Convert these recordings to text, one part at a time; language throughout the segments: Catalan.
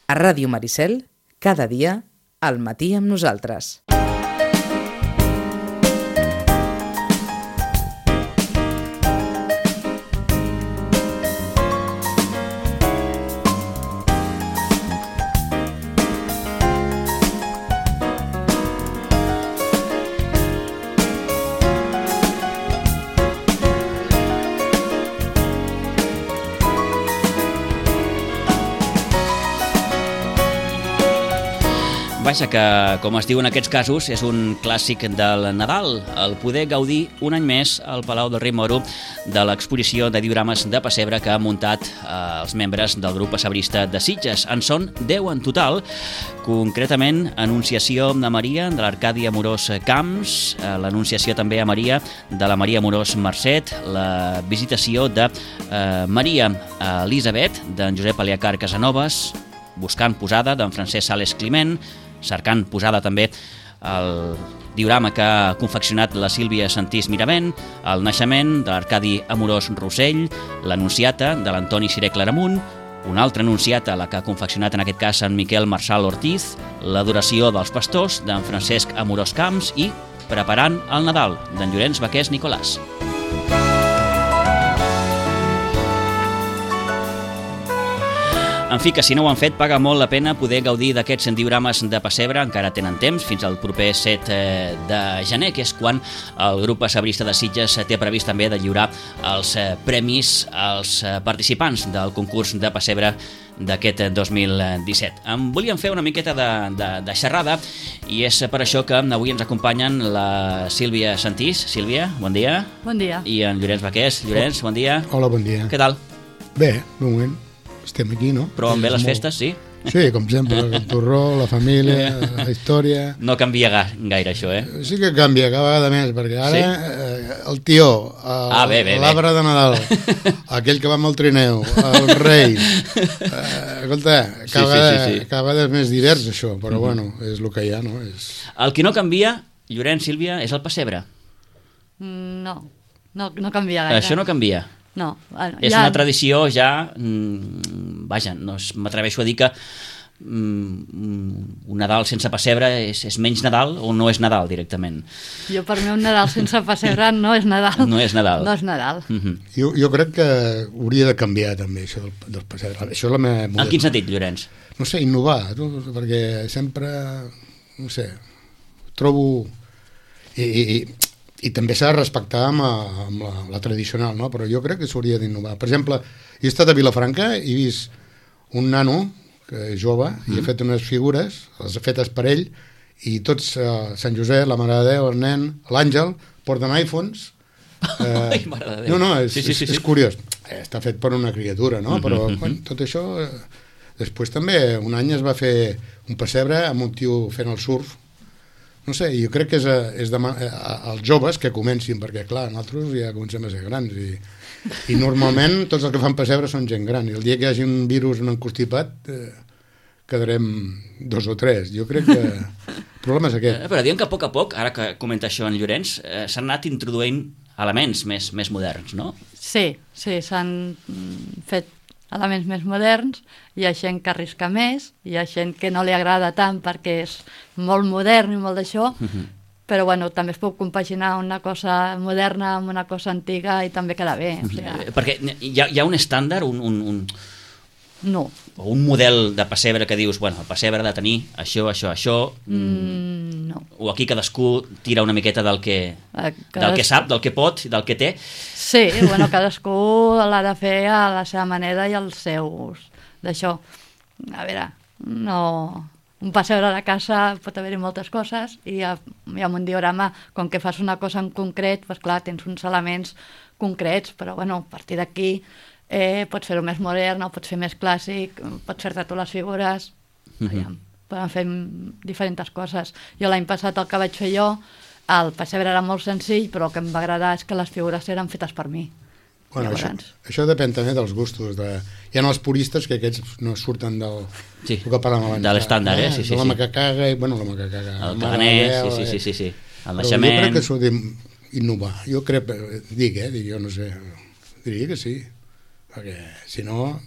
A Ràdio Maricel, cada dia, al matí amb nosaltres. Vaja, que, com es diu en aquests casos, és un clàssic del Nadal, el poder gaudir un any més al Palau del Rei Moro de l'exposició de diorames de pessebre que han muntat els membres del grup pessebrista de Sitges. En són 10 en total, concretament Anunciació de Maria de l'Arcadi Amorós Camps, l'Anunciació també a Maria de la Maria Amorós Mercet, la Visitació de Maria Elisabet d'en Josep Aliacar Casanovas, Buscant posada d'en Francesc Sales Climent, Cercant posada també el diorama que ha confeccionat la Sílvia Santís Miravent, el Naixement de l'Arcadi Amorós Rossell, l'Anunciata de l'Antoni Ciré Claramunt, una altra anunciata, la que ha confeccionat en aquest cas en Miquel Marçal Ortiz, l'Adoració dels Pastors d'en Francesc Amorós Camps i Preparant el Nadal d'en Llorenç Baqués Nicolàs. En fi, que si no ho han fet, paga molt la pena poder gaudir d'aquests diorames de pessebre. Encara tenen temps, fins al proper 7 de gener, que és quan el grup pessebrista de Sitges té previst també de lliurar els premis als participants del concurs de pessebre d'aquest 2017. Em volíem fer una miqueta de xerrada i és per això que avui ens acompanyen la Sílvia Santís. Sílvia, bon dia. Bon dia. I en Llorenç Baqués. Llorenç, bon dia. Hola, bon dia. Què tal? Bé, de moment estem aquí, no? Però bé les festes, sí? Sí, com sempre, el torró, la família, la història... No canvia gaire això, eh? Sí que canvia cada vegada més, perquè ara el tió, l'arbre de Nadal, aquell que va amb el trineu, el rei... Escolta, cada vegada és més divers això, però bueno, és el que hi ha, no? El que no canvia, Llorenç, Sílvia, és el pessebre. No canvia gaire. Això no canvia. No, bueno, és una tradició ja, vaja, no m'atreveixo a dir que un Nadal sense pessebre és menys Nadal o no és Nadal directament. Jo per mi un Nadal sense pessebre no és Nadal. No és Nadal. No és Nadal. Jo crec que hauria de canviar també això del pessebre. Això és la meva... En quin sentit, Llorenç? No sé, innovar, perquè sempre, no sé, trobo... I també s'ha de respectar amb la tradicional, no? Però jo crec que s'hauria d'innovar. Per exemple, he estat a Vilafranca i he vist un nano, que és jove, i ha fet unes figures, les ha fetes per ell, i tots, Sant Josep, la Mare de Déu, el nen, l'Àngel, porten iPhones. Ai, Mare de Déu. No, és curiós. Està fet per una criatura, no? Però tot això... Després també, un any es va fer un pessebre amb un tio fent el surf. No sé, jo crec que és als joves que comencin, perquè clar, nosaltres ja comencem a ser grans i normalment tots els que fan pessebre són gent gran, i el dia que hi hagi un virus, un encostipat, quedarem 2 o 3. Jo crec que el problema és aquest. Però diem que a poc, ara que comenta això en Llorenç, s'han anat introduint elements més moderns, no? Sí, s'han fet elements més moderns, hi ha gent que arrisca més, hi ha gent que no li agrada tant perquè és molt modern i molt d'això, però bueno, també es pot compaginar una cosa moderna amb una cosa antiga i també queda bé. O sigui... Perquè hi ha un estàndard, No. O un model de pessebre que dius, bueno, el pessebre ha de tenir això... No. O aquí cadascú tira una miqueta del que sap, del que pot, del que té. Sí, bueno, cadascú l'ha de fer a la seva manera i els seus... d'això. A veure, no... Un pessebre de casa pot haver-hi moltes coses i amb un diorama, com que fas una cosa en concret, doncs clar, tens uns elements concrets, però bueno, a partir d'aquí pots fer-ho més modern o pots fer més clàssic, pots fer-te tu les figures, poden fer diferents coses. Jo l'any passat el que vaig fer jo, el pessebre era molt senzill, però el que em va agradar és que les figures eren fetes per mi. Bueno, això depèn també dels gustos. Hi ha els puristes que aquests no surten del que parlàvem abans. De l'estàndard, sí. De la macacaga, bueno, la macacaga. El caganès, sí. El naixement... Jo crec que s'ho d'innovar. Jo crec, jo no sé, diria que sí. Perquè si no...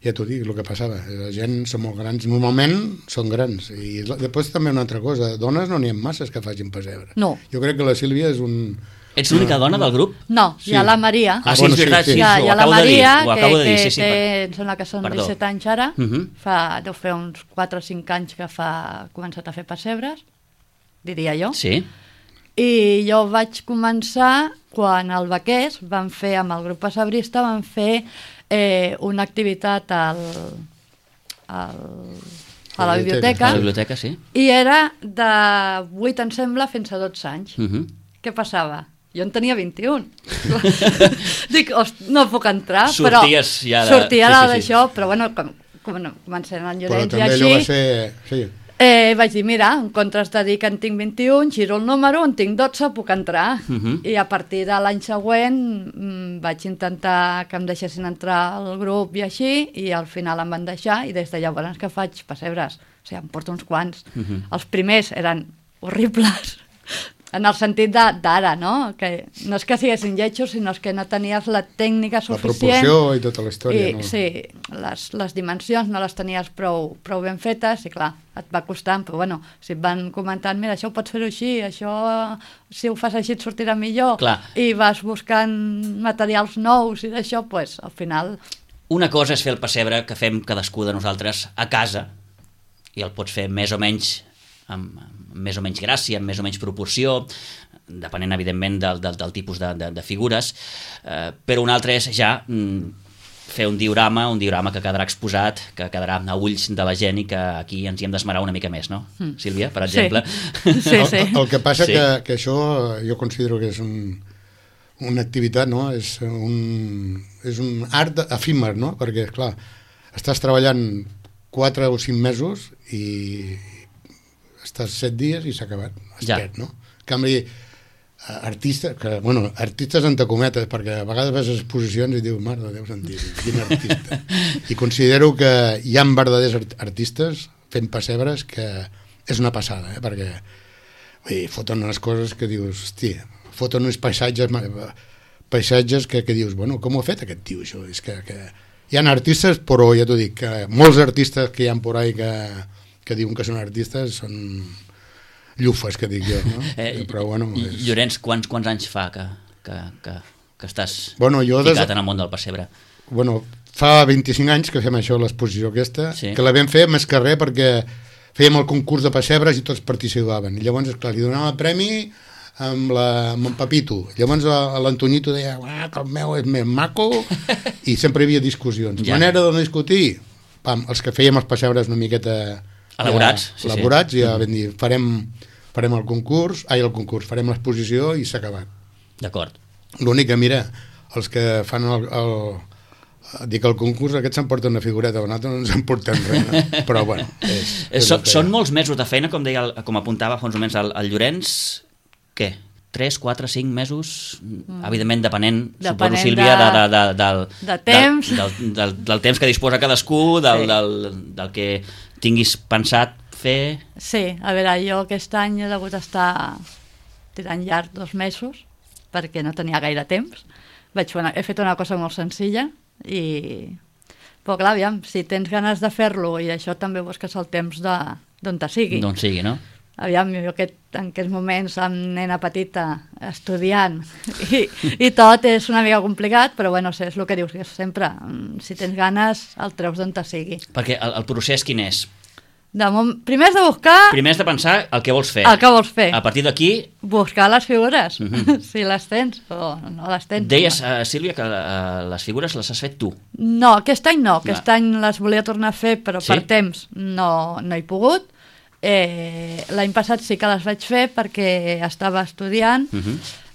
ja t'ho dic, el que passava. La gent són molt grans, normalment són grans. I després també una altra cosa, dones no n'hi ha masses que facin pessebre. No. Jo crec que la Sílvia és un... Ets l'única dona del grup? No, Sí. hi ha la Maria. Ah, sí, és veritat, sí, Hi ha ho la acabo de dir, Maria, ho acabo de dir, sí, que em sembla que són Perdó. 17 anys ara. Deu fer uns 4 o 5 anys que ha començat a fer pessebres, diria jo. Sí. I jo vaig començar quan al Baquers van fer, amb el grup pessebrista, van fer una activitat a la biblioteca. A la biblioteca, sí. I era de 8, em sembla, fins a 12 anys. Què passava? Jo en tenia 21. Dic, no puc entrar, però Sorties ja de... sortia sí, sí, sí. d'això, però bueno, comencem en Però Llorenç i també allò va així. ser... Sí. Vaig dir, mira, en comptes de dir que en tinc 21, giro el número, en tinc 12, puc entrar. I a partir de l'any següent vaig intentar que em deixessin entrar al grup i així, i al final em van deixar, i des de llavors que faig pessebres. O sigui, em porto uns quants. Els primers eren horribles, en el sentit d'ara, no? Que no és que siguessin lletjos, sinó que no tenies la tècnica La suficient. proporció i tota la història. I, no? sí, les dimensions no les tenies prou ben fetes i clar, et va costant, però bueno, si et van comentant, mira, això ho pots fer-ho així, això si ho fas així et sortirà millor, Clar. i vas buscant materials nous i d'això, pues, al final... Una cosa és fer el pessebre que fem cadascú de nosaltres a casa, i el pots fer més o menys amb més o menys gràcia, amb més o menys proporció, depenent, evidentment, del tipus de figures, però un altre és ja fer un diorama que quedarà exposat, que quedarà a ulls de la gent i que aquí ens hi hem d'esmerar una mica més, no? Sílvia, per exemple. Sí, sí. El que passa Sí. que això jo considero que és una activitat, no? És un art efímer, no? Perquè, clar, estàs treballant 4 o 5 mesos i estàs 7 dies i s'ha acabat. Es Ja. perd, no? En canvi, artistes, artistes entre cometes, perquè a vegades vas a exposicions i dius, mare de Déu santíssim, quin artista. I considero que hi ha verdaders artistes fent pessebres que és una passada, perquè foten unes coses que dius, hòstia, foten uns paisatges que dius, bueno, com ho ha fet aquest tio, això? És que hi ha artistes, però ja t'ho dic, que molts artistes que hi ha por ahí que diuen que són artistes són llufes, que dic jo, no? Però bueno... Llorenç, quants anys fa que estàs jo ficat en el món del pessebre? Bueno, fa 25 anys que fem això, l'exposició aquesta, Sí. que la vam fer més que res perquè fèiem el concurs de pessebres i tots participaven. I llavors, esclar, li donàvem el premi amb en Pepito. Llavors l'Antonito deia que el meu és més maco i sempre hi havia discussions. Ja. Manera de no discutir, els que fèiem els pessebres una miqueta Elaborats, sí. ja vam dir, farem el concurs, farem l'exposició i s'ha acabat. D'acord. L'únic que, mira, els que fan el concurs, aquests s'emporten una figureta, nosaltres no ens emportem res, però bueno... Són molts mesos de feina, com apuntava fa uns moments el Llorenç, què? 3, 4, 5 mesos, evidentment depenent suposo, Sílvia, de temps. del temps que disposa cadascú, del que tinguis pensat fer... Sí, a veure, jo aquest any he hagut d'estar tirant llarg 2 mesos perquè no tenia gaire temps. He fet una cosa molt senzilla però clar, aviam, si tens ganes de fer-lo i això també busques el temps d'on te sigui. D'on sigui, no? Aviam, jo en aquests moments amb nena petita estudiant i tot és una mica complicat, però bueno, és el que dius sempre, si tens ganes el treus d'on te sigui. Perquè el procés quin és? Primer has de buscar... Primer has de pensar el que vols fer. El que vols fer. A partir d'aquí... Buscar les figures, si les tens o no les tens. Deies, Sílvia, que les figures les has fet tu. No, aquest any no. Aquest any les volia tornar a fer, però per temps no he pogut. L'any passat sí que les vaig fer perquè estava estudiant.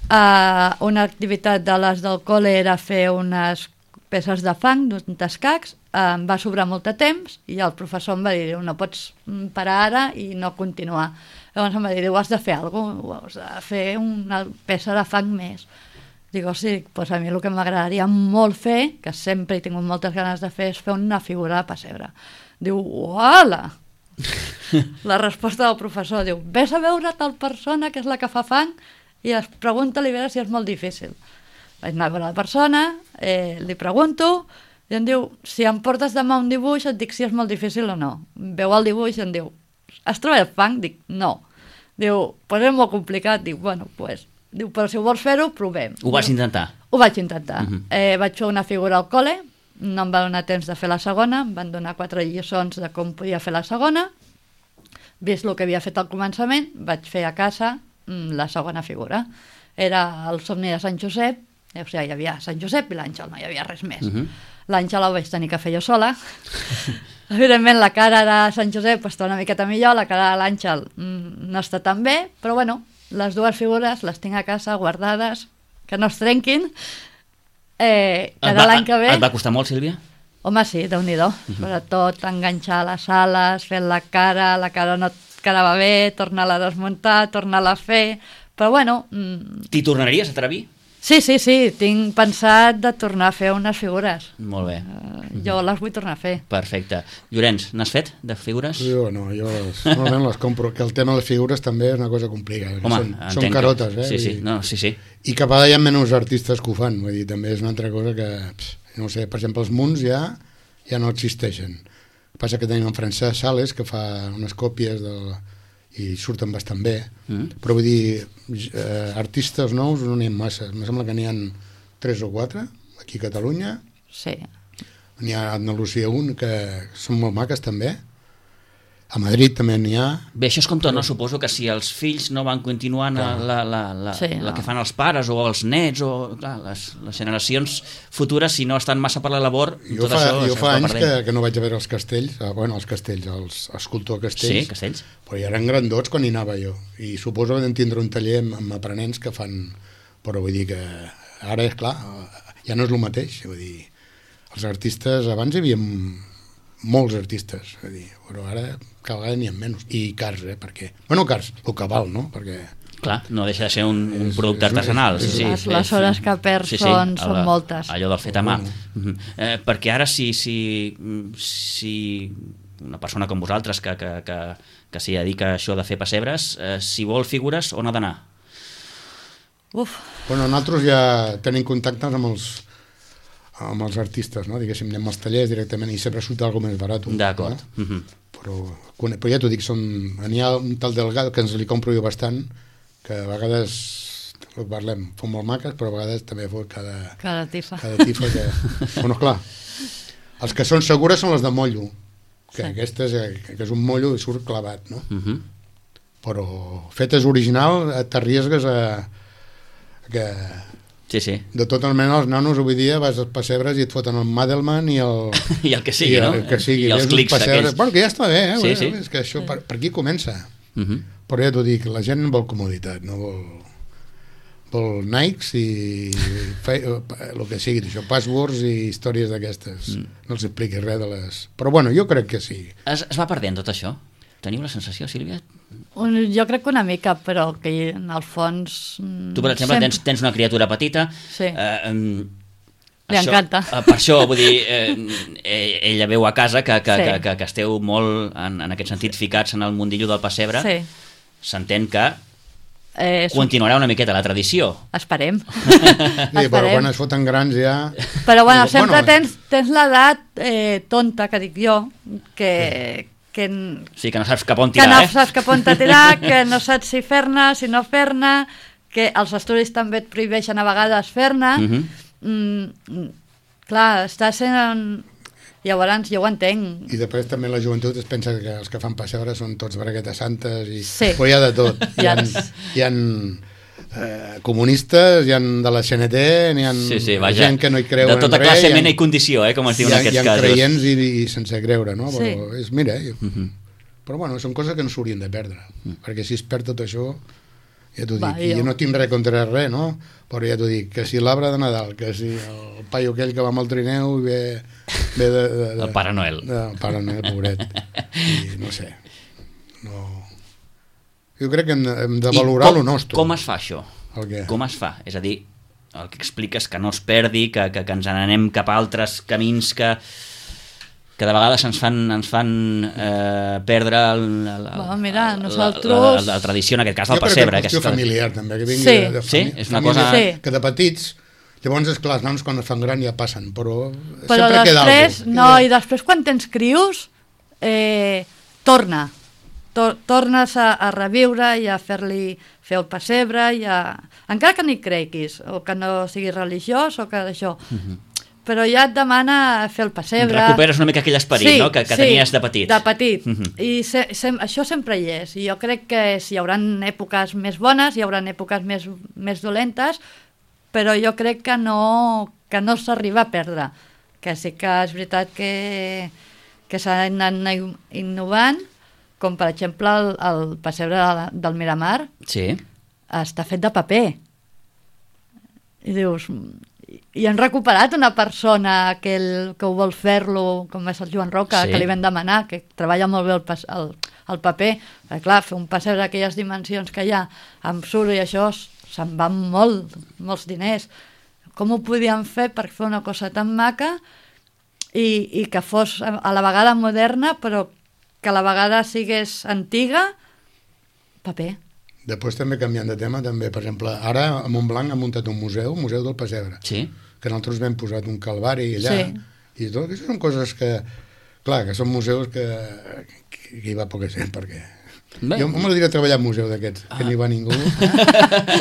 Una activitat de les del col·le era fer unes peces de fang, d'uns escacs. Em va sobrar molt de temps i el professor em va dir, no pots parar ara i no continuar. Llavors em va dir, has de fer alguna cosa, has de fer una peça de fang més. Dic, sí, doncs a mi el que m'agradaria molt fer, que sempre he tingut moltes ganes de fer, és fer una figura de pessebre. Diu, uala! La resposta del professor diu, ves a veure tal persona que és la que fa fang i pregunta-li a veure si és molt difícil. Vaig anar a veure la persona, li pregunto I em diu, si em portes demà un dibuix, et dic si és molt difícil o no. Veu el dibuix i em diu, has treballat fang? Dic, no. Diu, pues és molt complicat. Dic, bueno, pues... Diu, però si ho vols fer-ho, provem. Ho vas intentar? Ho vaig intentar. Vaig fer una figura al col·le, no em va donar temps de fer la segona, em van donar 4 lliçons de com podia fer la segona, vist el que havia fet al començament, vaig fer a casa la segona figura. Era el somni de Sant Josep, o sigui, hi havia Sant Josep i l'Àngel, no hi havia res més. L'Àngel ho vaig tenir que fer jo sola. Evidentment, la cara de Sant Josep està una miqueta millor, la cara de l'Àngel no està tan bé, però bueno, les dues figures les tinc a casa guardades, que no es trenquin, cada l'any que ve... Et va costar molt, Sílvia? Home, sí, Déu-n'hi-do. Sobretot enganxar les ales, fer la cara no et quedava bé, tornar-la a desmuntar, tornar-la a fer... Però bueno... T'hi tornaries a atrevir? Sí, tinc pensat de tornar a fer unes figures. Molt bé. Jo les vull tornar a fer. Perfecte. Llorenç, n'has fet de figures? Jo no, jo normalment les compro, que el tema de les figures també és una cosa complicada. Home, són carotes, Sí. I que a vegades hi ha menys artistes que ho fan, vull dir, també és una altra cosa que, no sé, per exemple, els munts ja no existeixen. El que passa que tenim en Francesc Sales, que fa unes còpies i surten bastant bé, però vull dir, artistes nous no n'hi ha massa, em sembla que n'hi ha 3 o 4 aquí a Catalunya. Sí. N'hi ha a Andalusia que són molt maques també, a Madrid també n'hi ha. Bé, això és com tot, no? Suposo que si els fills no van continuant la que fan els pares o els nets o clar, les generacions futures, si no estan massa per la labor, jo fa anys que no vaig a veure els castells, els escultor Castells, sí, Castells, però ja eren grandots quan hi anava jo, i suposo que vam tindre un taller amb aprenents que fan, però vull dir que ara és clar, ja no és el mateix, vull dir, els artistes, abans hi havia molts artistes, vull dir, però ara cada vegada n'hi ha menys, i cars, perquè, bueno, cars, el que val, no? Perquè clar, no deixa de ser un producte artesanal. Les hores que perds són moltes. Allò del fet a mà. Perquè ara si una persona com vosaltres que s'hi dedica a això de fer pessebres, si vol figures, on ha d'anar? Bueno, nosaltres ja tenim contactes amb els artistes, no? Diguéssim, anem als tallers directament i sempre surt alguna més barat. D'acord. No? Però ja t'ho dic, n'hi ha un tal Delgado que ens li compro jo bastant, que a vegades parlem, fon molt maques, però a vegades també fot cada tifa que... Bueno, clar, els que són segures són les de mollo, que aquestes, que és un mollo i surt clavat, no? Però fetes original t'arriesgues a que... Sí. De totes maneres, els nanos avui dia vas als pessebres i et foten el Madelman i el... I el que sigui, no? I els clics aquells. Bueno, que ja està bé, Sí. És que això per aquí comença. Però ja t'ho dic, la gent vol comoditat, no vol Nikes i el que sigui, això, passwords i històries d'aquestes. No els expliquis res de les... Però bueno, jo crec que sí. Es va perdent tot això? Teniu la sensació, Sílvia? Jo crec que una mica, però que en el fons... Tu, per exemple, tens una criatura petita... Sí. Li encanta. Per això, vull dir, ella veu a casa que esteu molt, en aquest sentit, ficats en el mundillo del pessebre. Sí. S'entén que continuarà una miqueta la tradició. Esperem. Sí, però quan es foten grans ja... Però bueno, sempre tens l'edat tonta, que dic jo, sí, que no saps cap on tirar, que no saps cap on tirar, que no saps si fer-ne, si no fer-ne, que els estudis també et prohibeixen a vegades fer-ne. Clar, estàs en... Llavors jo ho entenc. I després també la joventut es pensa que els que fan pessebre són tots braguetes santes i... Però hi ha de tot. Hi ha comunistes, hi ha de la CNT, hi ha gent que no hi creu en res. De tota classe, mena i condició, com es diu en aquests casos. Hi ha creients i sense creure, no? Però mira, però bueno, són coses que no s'haurien de perdre, perquè si es perd tot això, ja t'ho dic, i jo no tinc res contra res, no? Però ja t'ho dic, que si l'arbre de Nadal, que si el paio aquell que va amb el trineu i ve el Pare Noel. El Pare Noel, pobret. I no sé, no... Jo crec que hem de valorar el nostre. Com es fa això? Com es fa? És a dir, el que expliques que no es perdi, que ens n'anem cap a altres camins que de vegades ens fan perdre la tradició, en aquest cas del pessebre. Jo crec que és qüestió familiar també, que vingui de és una cosa... que de petits Llavors, esclar, els nanos quan es fan gran ja passen, però Però sempre queda després, alguna cosa. no, i després quan tens crios, tornes a reviure i a fer el pessebre, encara que no hi creguis, o que no siguis religiós, o que d'això. Però ja et demana fer el pessebre. Recuperes una mica aquell esperit, no? que tenies de petit. De petit. I això sempre hi és. I jo crec que hi haurà èpoques més bones, hi haurà èpoques més dolentes, però jo crec que no s'arriba a perdre. Que sí que és veritat que s'ha anat innovant, com per exemple el pessebre del Miramar, Sí. està fet de paper. I dius... I han recuperat una persona que ho vol fer-lo, com és el Joan Roca, Sí. que li vam demanar, que treballa molt bé el paper. Perquè, clar, fer un pessebre d'aquelles dimensions que hi ha, amb suro i això, se'n van molts diners. Com ho podien fer per fer una cosa tan maca i que fos a la vegada moderna, però que a la vegada sigués antiga? Paper. Després també canviant de tema, també, per exemple, ara a Montblanc ha muntat un museu del pessebre, Sí. que nosaltres vam posat un calvari allà, Sí. i tot, aquestes són coses que, clar, que són museus que hi va poca gent, perquè... Bé. Jo m'agradaria treballar en un museu d'aquests, que no hi va ningú,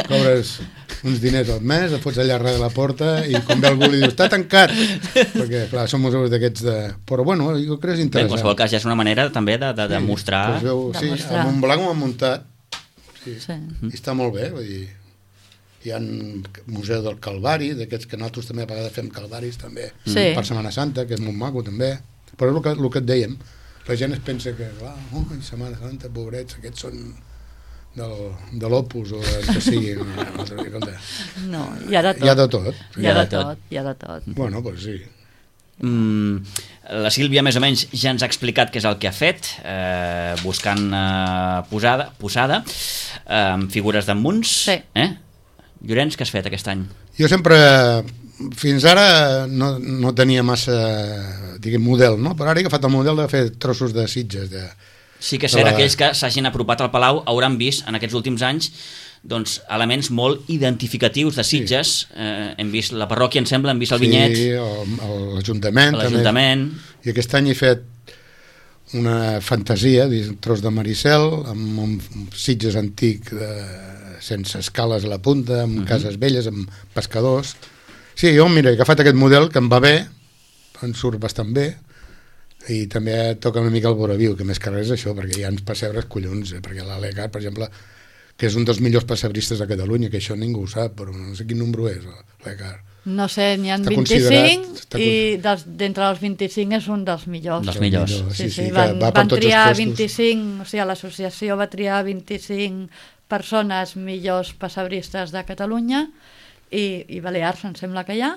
cobres uns diners al mes, et fots allà darrere de la porta i quan ve algú li dius, està tancat, perquè, clar, són museus d'aquests de... Però, bueno, jo crec que és Bé, en interessant. qualsevol cas, ja és una manera també de mostrar... Pues veu, sí, Demostrar. a Montblanc ho han muntat, Sí. i està molt bé, vull dir, hi ha un museu del Calvari, d'aquests que nosaltres també a vegades fem calvaris també, Sí. per Setmana Santa, que és molt maco també, però és el que et dèiem, la gent es pensa que, clar, Setmana Santa, pobrets, aquests són de l'Opus o del que sigui, No, hi ha de tot. hi ha de tot. Hi ha de tot. Bueno, doncs sí. La Sílvia més o menys ja ens ha explicat què és el que ha fet, buscant posada amb figures d'en Munts. Sí. Llorenç, què has fet aquest any? Jo sempre, fins ara, no tenia massa, diguem, model, no? Però ara he agafat el model de fer trossos de Sitges. Sí que ser aquells que s'hagin apropat al Palau hauran vist en aquests últims anys doncs, elements molt identificatius de Sitges. Hem vist la parròquia, em sembla, hem vist el vinyet. Sí, l'Ajuntament. L'Ajuntament. I aquest any he fet una fantasia, un tros de Maricel, amb un Sitges antic sense escales a la punta, amb cases velles, amb pescadors. Sí, jo, mira, he agafat aquest model que em va bé, em surt bastant bé, i també toca una mica el voraviu, que més que res és això, perquè hi ha uns pessebres collons, perquè l'Alegar, per exemple, que és un dels millors pessebristes de Catalunya, que això ningú ho sap, però no sé quin número és, l'Alegar. No sé, n'hi ha Està 25 i d'entre els 25 és un dels millors. Dels millors. Sí, que van va per tots els triar puestos. 25, o sigui, l'associació va triar 25 persones millors pessebristes de Catalunya i Balears, em sembla que hi ha,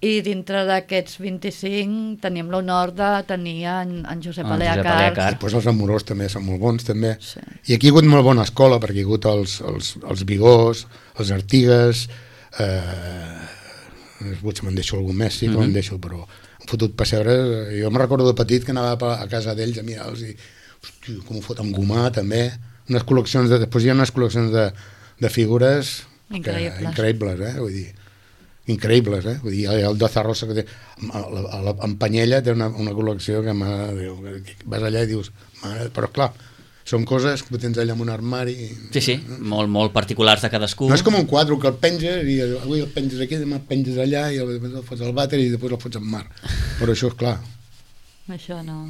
i dintre d'aquests 25 tenim l'honor de tenir en Josep Aleacar. Després els amorós també són molt bons, també. Sí. I aquí hi ha hagut molt bona escola, perquè hi ha hagut els Vigors, els Artigues, potser me'n deixo algun més, sí que me'n deixo, però han fotut pessebres. Jo me'n recordo de petit que anava a casa d'ells a mirar-los i, hòstia, com ho foten gomar, també. Després hi ha unes col·leccions de figures increïbles, vull dir, increïbles, vull dir, el Doza Rosa que té, en Panyella té una col·lecció que vas allà i dius, però clar, són coses que tens allà en un armari. Sí, molt particulars de cadascú. No és com un quadre que el penges i avui el penges aquí, demà el penges allà i després el fots al vàter i després el fots al mar. Però això, és clar, Això no...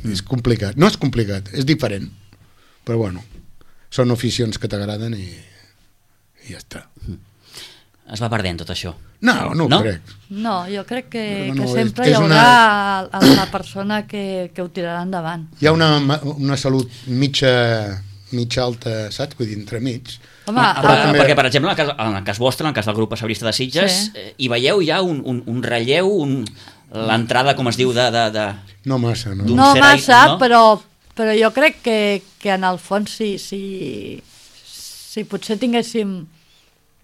és complicat. No és complicat, és diferent. Però bueno, són aficions que t'agraden i ja està. Es va perdent tot això. No ho crec. No, jo crec que No, sempre és hi haurà la persona que ho tirarà endavant. Hi ha una salut mitja alta, saps? Vull dir, entremig. Home, perquè, per exemple, en el cas vostre, en el cas del grup passebrista de Sitges, hi veieu ja un relleu, l'entrada, com es diu, No massa, no? No massa, però jo crec que en el fons si potser tinguéssim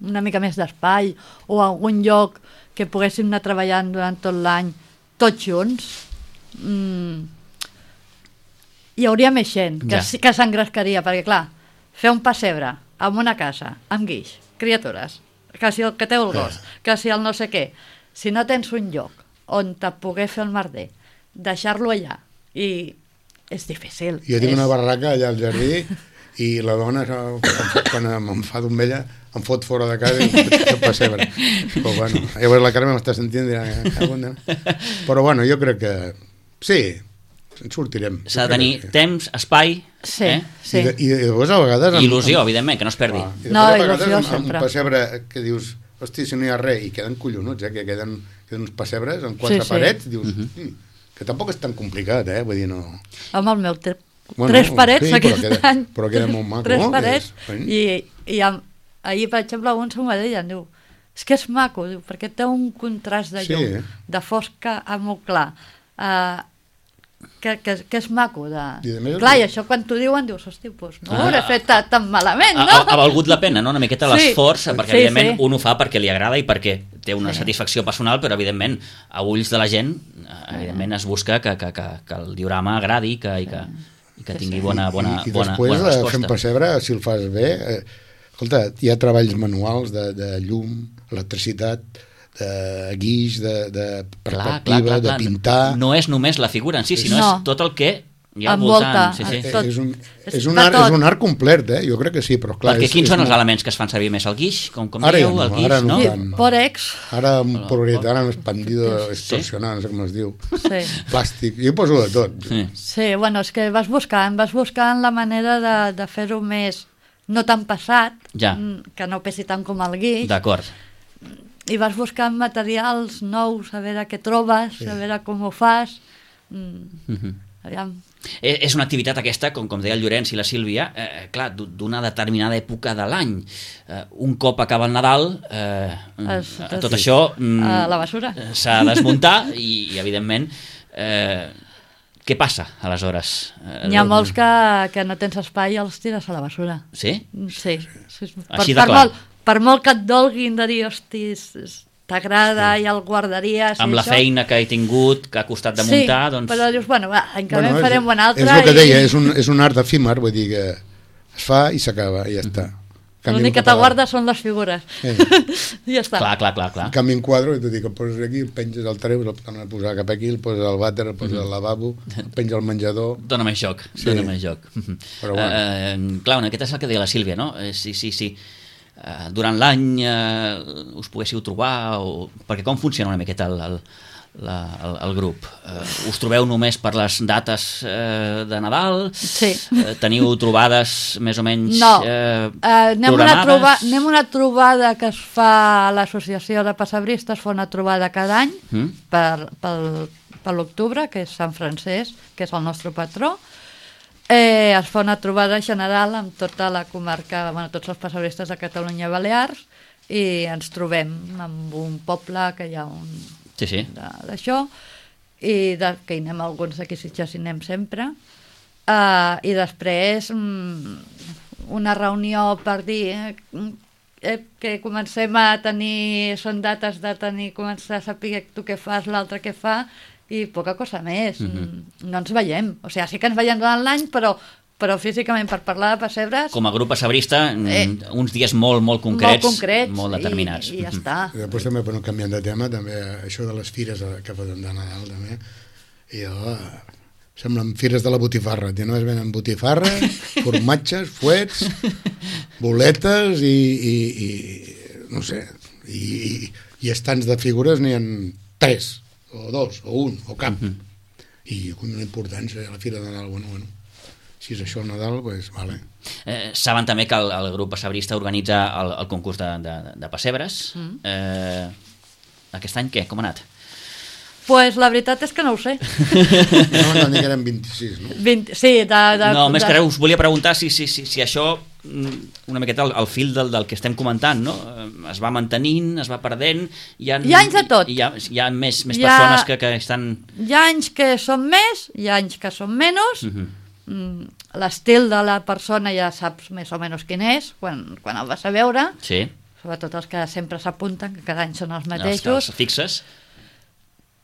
una mica més d'espai o algun lloc que poguéssim anar treballant durant tot l'any tots junts, hi hauria més gent que s'engrescaria, perquè clar, fer un pessebre en una casa, amb guix, criatures, que si el que té el gos, que si el no sé què. Si no tens un lloc on te poder fer el merder, deixar-lo allà, i és difícil. Jo tinc una barraca allà al jardí i la dona, quan em fa d'ombella, em fot fora de casa i em pessebre. Però bueno, llavors la Carme m'està sentint i dirà, però bueno, jo crec que sí, en sortirem. S'ha de tenir temps, espai... Sí, sí. I llavors a vegades... Il·lusió, evidentment, que no es perdi. No, a il·lusió vegades sempre. un pessebre que dius, hosti, si no hi ha res, i queden collonuts, que queden uns pessebres amb 4 parets, dius, que tampoc és tan complicat, vull dir, no... Amb el meu 3 parets aquest any. Però queda molt maco. 3 parets, i ahir, per exemple, un se'm va dir, em diu, és que és maco, diu, perquè té un contrast de llum, de fosca a molt clar, que és maco. Clar, i això quan t'ho diuen dius, hosti, doncs no ho hauré fet tan malament, no? Ha valgut la pena, no? Una miqueta l'esforç, perquè evidentment un ho fa perquè li agrada i perquè té una satisfacció personal, però evidentment a ulls de la gent evidentment es busca que el diorama agradi i que tingui bona resposta. I després fent pessebre, si el fas bé, escolta, hi ha treballs manuals de llum, electricitat, de guix, de perspectiva, de pintar... No és només la figura en si, sinó és tot el que hi ha al voltant. És un art complet, jo crec que sí, però clar... Perquè quins són els elements que es fan servir més? El guix, com dieu, el guix, no? Pòrex. Ara un poliuretà expandido, extorsionat, no sé com es diu. Plàstic, jo poso de tot. Sí, bueno, és que vas buscant la manera de fer-ho més, no tan pesat, que no pesi tant com el guix. D'acord. I vas buscant materials nous, a veure què trobes, a veure com ho fas. És una activitat aquesta, com deia el Llorenç i la Sílvia, clar, d'una determinada època de l'any. Un cop acaba el Nadal, tot això a la basura. S'ha de desmuntar i evidentment, què passa aleshores? N'hi ha molts que no tens espai i els tires a la basura. Sí? Sí. Així de clar. Per molt que et dolguin de dir, hosti, t'agrada i el guardaries... Amb la feina que he tingut, que ha costat de muntar, doncs... Sí, però dius, bueno, va, l'any que ve farem un altre... És el que deia, és un art efímer, vull dir que es fa i s'acaba, i ja està. L'únic que t'aguarda són les figures. I ja està. Clar. En canvi, un quadre, i t'ho dic, el poses aquí, el penges al treus, el tornes a posar cap aquí, el poses al vàter, el poses al lavabo, el penges al menjador... Dóna més joc. Però bueno. Clar, aquest és el que deia la Sílvia, no? Sí. Durant l'any us poguéssiu trobar, perquè com funciona una miqueta el grup? Us trobeu només per les dates de Nadal? Sí. Teniu trobades més o menys programades? Anem una trobada que es fa a l'associació de pessebristes, fa una trobada cada any per l'octubre, que és Sant Francesc, que és el nostre patró. Es fa una trobada general amb tota la comarca, tots els pessebristes de Catalunya i Balears, i ens trobem en un poble que hi ha d'això, i que hi anem alguns d'aquí Sitges, hi anem sempre, i després una reunió per dir que comencem a tenir, són dates de tenir, començar a saber tu què fas, l'altre què fa, i poca cosa més. No ens veiem. O sigui, sí que ens veiem durant l'any, però físicament per parlar de pessebres... Com a grup pessebrista, uns dies molt concrets, molt determinats. I ja està. I després també, per no canviar de tema, també això de les fires que foten de Nadal, també, i semblen fires de la botifarra. Només venen botifarra, formatges, fuets, boletes i no sé, i estants de figures n'hi ha 3, o 2, o 1, o cap. I una importància a la fira de Nadal, bueno, si és això el Nadal, doncs vale. Saben també que el grup pessebrista organitza el concurs de pessebres. Aquest any què? Com ha anat? Pues la veritat és que no ho sé. No, n'hi eren 26, no? Sí, no, més que res us volia preguntar si això, una miqueta el fil del que estem comentant, no? Es va mantenint, es va perdent... Hi ha anys de tot. Hi ha més persones que estan... Hi ha anys que són més, hi ha anys que són menys. L'estil de la persona ja saps més o menys quin és, quan el vas a veure. Sí. Sobretot els que sempre s'apunten, que cada any són els mateixos. Els fixes.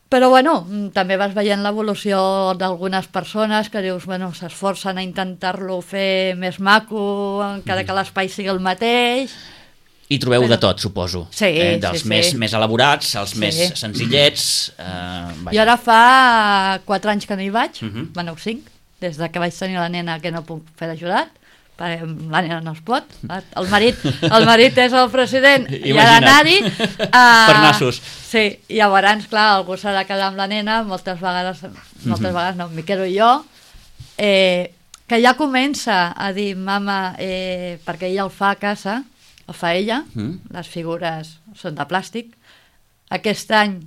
Però bueno, també vas veient l'evolució d'algunes persones que dius, bueno, s'esforcen a intentar-lo fer més maco, encara que l'espai sigui el mateix. I trobeu de tot, suposo. Sí, dels sí, més elaborats, els Sí. més senzillets. Jo ara fa 4 anys que no hi vaig, Mhm. bueno, 5, des de que vaig tenir la nena que no puc fer d'ajudat, perquè la nena no es pot. El marit és el president i ha d'anar-hi. Per nassos. Sí, i llavors, clar, algú s'ha de quedar amb la nena, moltes vegades no, m'hi quedo jo, que ja comença a dir, mama, perquè ella el fa a casa, el fa ella, les figures són de plàstic. Aquest any,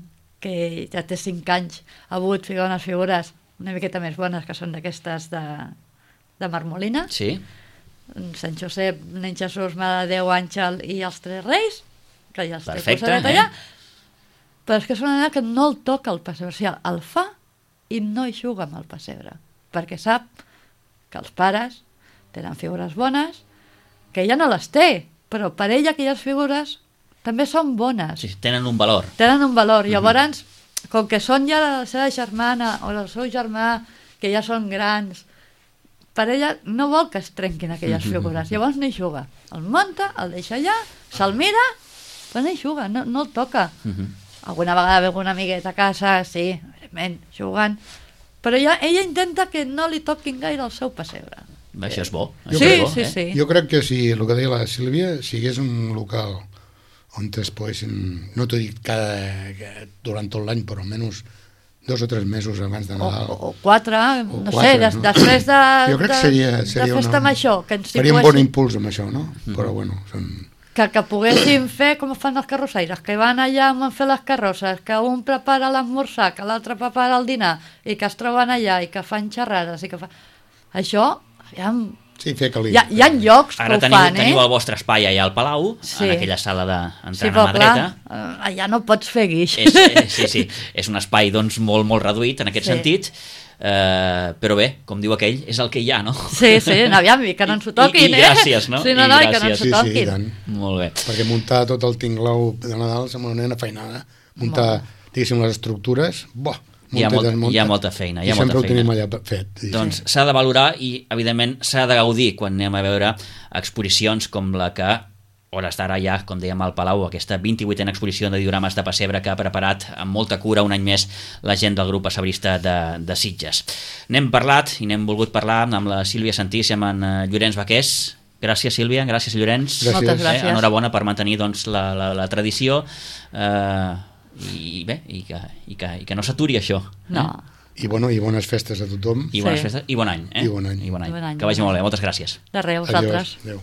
que ja té 5 anys, ha volgut ficar unes figures una miqueta més bones, que són d'aquestes de marmolina. Sí. Sant Josep, nen Jesús, Mare de Déu, Àngel i els 3 Reis, que ja els té Perfecte, posadet allà. Però és que és una nena que no el toca el pessebre, o sigui, el fa i no hi juga amb el pessebre, perquè sap que els pares tenen figures bones, que ella no les té, però per ella aquelles figures també són bones. Sí, tenen un valor. Tenen un valor. Llavors, com que són ja la seva germana o el seu germà, que ja són grans, per ella no vol que es trenquin aquelles figures. Llavors no hi juga. El munta, el deixa allà, se'l mira, però no hi juga, no el toca. Alguna vegada ve alguna amigueta a casa, sí, evidentment, jugant, però ella intenta que no li toquin gaire el seu pessebre. Això és bo. Sí. Jo crec que si, el que deia la Sílvia, si hagués un local on es poguessin, no t'ho dic durant tot l'any, però almenys 2 o 3 mesos abans de Nadal. O 4, no 4, sé, no? després Jo crec que seria de festa major, que ens faria un bon impuls amb això, no? Però bueno, que poguéssim fer com fan els carrossaires, que van allà a fer les carrosses, que un prepara l'esmorzar, que l'altre prepara el dinar, i que es troben allà, i que fan xerrades, i que fa... Això, aviam... Sí, fer calí. Hi ha llocs que ara ho fan, teniu el vostre espai allà al Palau, en aquella sala d'entrenar mà dreta. Allà no pots fer guix. Sí, és un espai doncs, molt, molt reduït en aquest sentit, però bé, com diu aquell, és el que hi ha, no? Sí, aviam, i que no ens ho toquin, I gràcies, no? Sí, i que no ens ho toquin. Sí, tant. Molt bé. Perquè muntar tot el tinglau de Nadal sembla una nena feinada. Muntar, diguéssim, les estructures, hi ha molta feina. I sempre ho tenim allà fet. Doncs s'ha de valorar i, evidentment, s'ha de gaudir quan anem a veure exposicions com la que, hores d'ara ja, com dèiem al Palau, aquesta 28a exposició de diorames de pessebre que ha preparat amb molta cura un any més la gent del grup pessebrista de Sitges. N'hem parlat i n'hem volgut parlar amb la Sílvia Santís i amb en Llorenç Baqués. Gràcies, Sílvia, gràcies, Llorenç. Moltes gràcies. Enhorabona per mantenir doncs, la tradició i bé, i que no s'aturi això. No. I bones festes a tothom. I bones festes i bon any. I bon any. Que vagi molt bé, moltes gràcies. De res, vosaltres. Adéu.